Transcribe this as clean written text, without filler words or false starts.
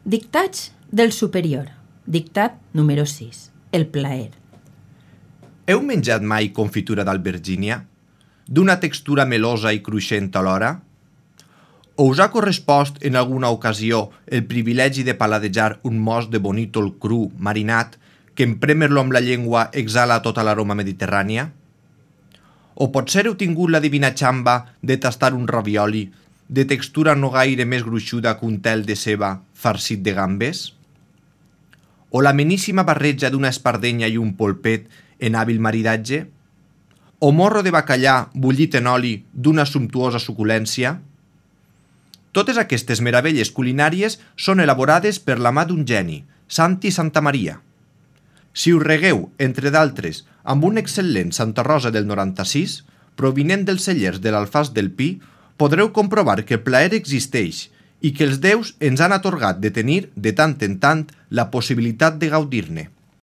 Dictats del superior. Dictat número 6. El plaer. Heu menjat mai confitura d'albergínia? D'una textura melosa i cruixent alhora? O us ha correspost en alguna ocasió el privilegi de paladejar un mos de bonítol cru, marinat, que en prémer-lo amb la llengua exhala tota l'aroma mediterrània? O potser heu tingut la divina xamba de tastar un ravioli de textura no gaire més gruixuda que un tel de ceba farcit de gambes? O l'ameníssima barreja d'una espardenya i un polpet en hàbil maridatge? O morro de bacallà bullit en oli d'una sumptuosa suculència? Totes aquestes meravelles culinàries són elaborades per la mà d'un geni, Santi Santamaria. Si us regueu, entre d'altres, amb un excel·lent Santa Rosa del 96, provinent dels cellers de l'Alfàs del Pi, podreu comprovar que el plaer existeix i que els déus ens han atorgat de tenir, de tant en tant, la possibilitat de gaudir-ne.